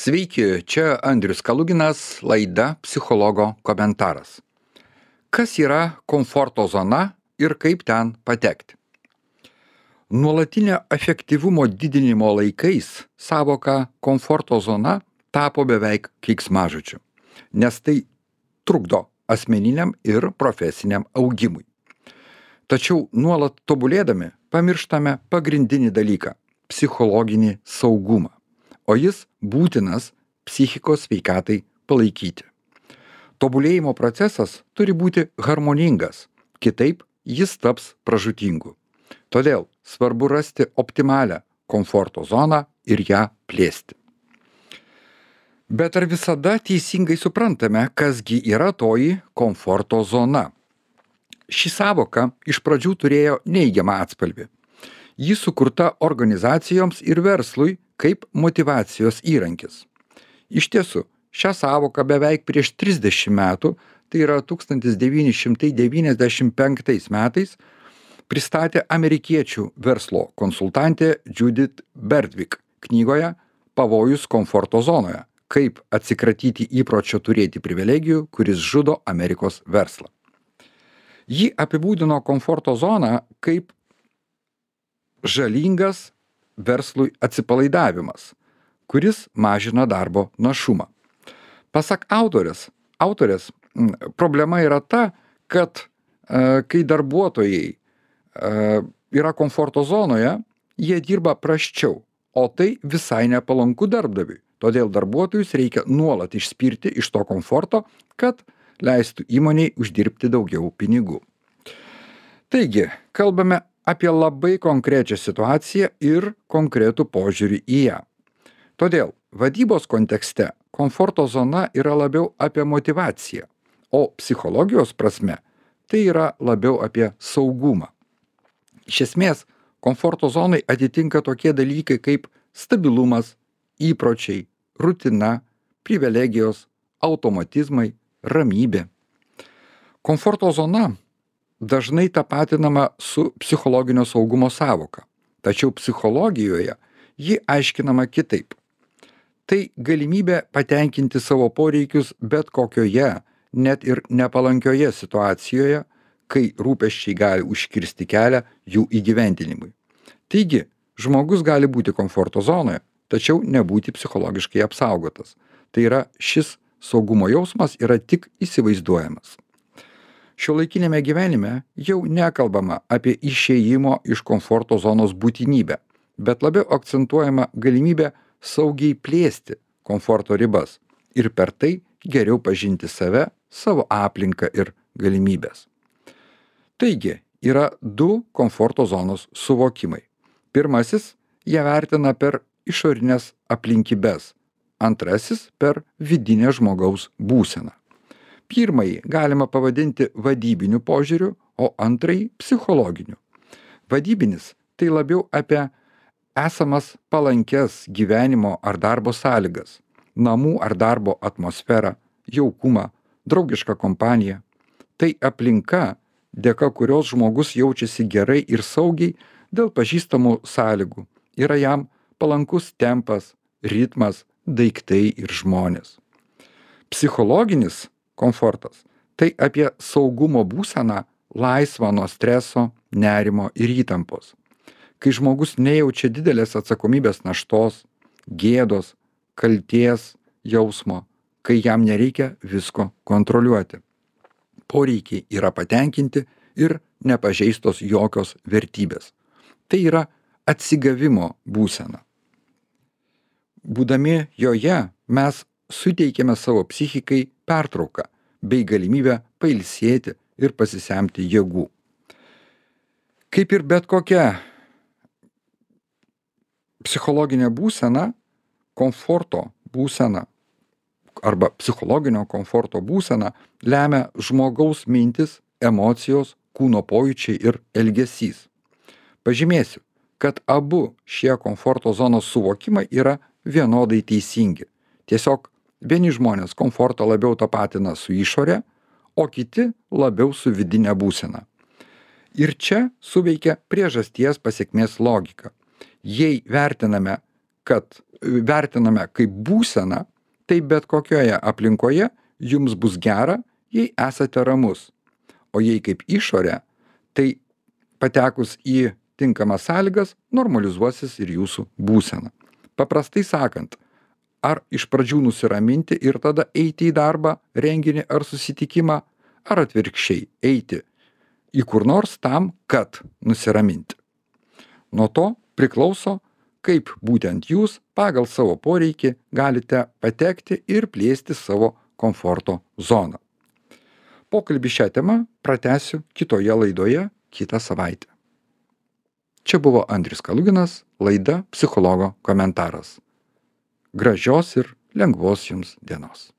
Sveiki, čia Andrius Kaluginas, laida Psichologo komentaras. Kas yra komforto zona ir kaip ten patekti? Nuolatinio efektyvumo didinimo laikais sąvoka komforto zona tapo beveik keiksmažodžiu, nes tai trukdo asmeniniam ir profesiniam augimui. Tačiau nuolat tobulėdami pamirštame pagrindinį dalyką – psichologinį saugumą, o jis būtinas psichikos sveikatai palaikyti. Tobulėjimo procesas turi būti harmoningas, kitaip jis taps pražūtingu. Todėl svarbu rasti optimalią komforto zoną ir ją plėsti. Bet ar visada teisingai suprantame, kasgi yra toji komforto zona? Ši sąvoka iš pradžių turėjo neigiamą atspalvį. Ji sukurta organizacijoms ir verslui kaip motyvacijos įrankis. Iš tiesų, šią sąvoką beveik prieš 30 metų, tai yra 1995 metais, pristatė amerikiečių verslo konsultantė Judith Berdvik knygoje Pavojus komforto zonoje – kaip atsikratyti įpročio turėti privilegijų, kuris žudo Amerikos verslą. Ji apibūdino komforto zoną kaip žalingas verslui atsipalaidavimas, kuris mažina darbo našumą. Pasak autorės, problema yra ta, kad kai darbuotojai yra komforto zonoje, jie dirba prasčiau, o tai visai nepalanku darbdaviui. Todėl darbuotojus reikia nuolat išspirti iš to komforto, kad leistų įmonei uždirbti daugiau pinigų. Taigi, kalbame apie labai konkrečią situaciją ir konkretų požiūrį į ją. Todėl vadybos kontekste komforto zona yra labiau apie motyvaciją, o psichologijos prasme tai yra labiau apie saugumą. Iš esmės, komforto zonai atitinka tokie dalykai kaip stabilumas, įpročiai, rutina, privilegijos, automatizmai, ramybė. Komforto zona dažnai tapatinama su psichologinio saugumo sąvoka, tačiau psichologijoje ji aiškinama kitaip. Tai galimybė patenkinti savo poreikius bet kokioje, net ir nepalankioje situacijoje, kai rūpesčiai gali užkirsti kelią jų įgyvendinimui. Taigi, žmogus gali būti komforto zonoje, tačiau nebūti psichologiškai apsaugotas. Tai yra, šis saugumo jausmas yra tik įsivaizduojamas. Šiuolaikinėme gyvenime jau nekalbama apie išėjimo iš komforto zonos būtinybę, bet labiau akcentuojama galimybė saugiai plėsti komforto ribas ir per tai geriau pažinti save, savo aplinką ir galimybes. Taigi, yra du komforto zonos suvokimai. Pirmasis, jie vertina per išorinės aplinkybes, antrasis per vidinę žmogaus būseną. Pirmąjį galima pavadinti vadybiniu požiūriu, o antrąjį psichologiniu. Vadybinis tai labiau apie esamas palankes gyvenimo ar darbo sąlygas, namų ar darbo atmosferą, jaukumą, draugišką kompaniją. Tai aplinka, dėka kurios žmogus jaučiasi gerai ir saugiai dėl pažįstamų sąlygų. Yra jam palankus tempas, ritmas, daiktai ir žmonės. Psichologinis komfortas – tai apie saugumo būseną laisvą nuo streso, nerimo ir įtampos. Kai žmogus nejaučia didelės atsakomybės naštos, gėdos, kaltės jausmo, kai jam nereikia visko kontroliuoti. Poreikiai yra patenkinti ir nepažeistos jokios vertybės. Tai yra atsigavimo būsena. Būdami joje mes suteikiame savo psichikai pertrauką bei galimybę pailsėti ir pasisemti jėgų. Kaip ir bet kokia psichologinė būsena, komforto būsena arba psichologinio komforto būsena lemia žmogaus mintis, emocijos, kūno pojūčiai ir elgesys. Pažymėsiu, kad abu šie komforto zonos suvokimai yra vienodai teisingi. Tiesiog vieni žmonės komfortą labiau tapatina su išore, o kiti labiau su vidinė būsena. Ir čia suveikia priežasties pasekmės logika. Jei vertiname kad vertiname kaip būseną, tai bet kokioje aplinkoje jums bus gera, jei esate ramus. O jei kaip išorė, tai patekus į tinkamas sąlygas normalizuosis ir jūsų būsena. Paprastai sakant, ar iš pradžių nusiraminti ir tada eiti į darbą, renginį ar susitikimą, ar atvirkščiai eiti į kur nors tam, kad nusiraminti. Nuo to priklauso, kaip būtent jūs pagal savo poreikį galite patekti ir plėsti savo komforto zoną. Pokalbį šią temą pratęsiu kitoje laidoje kitą savaitę. Čia buvo Andrius Kaluginas, laida Psichologo komentaras. Gražios ir lengvos jums dienos.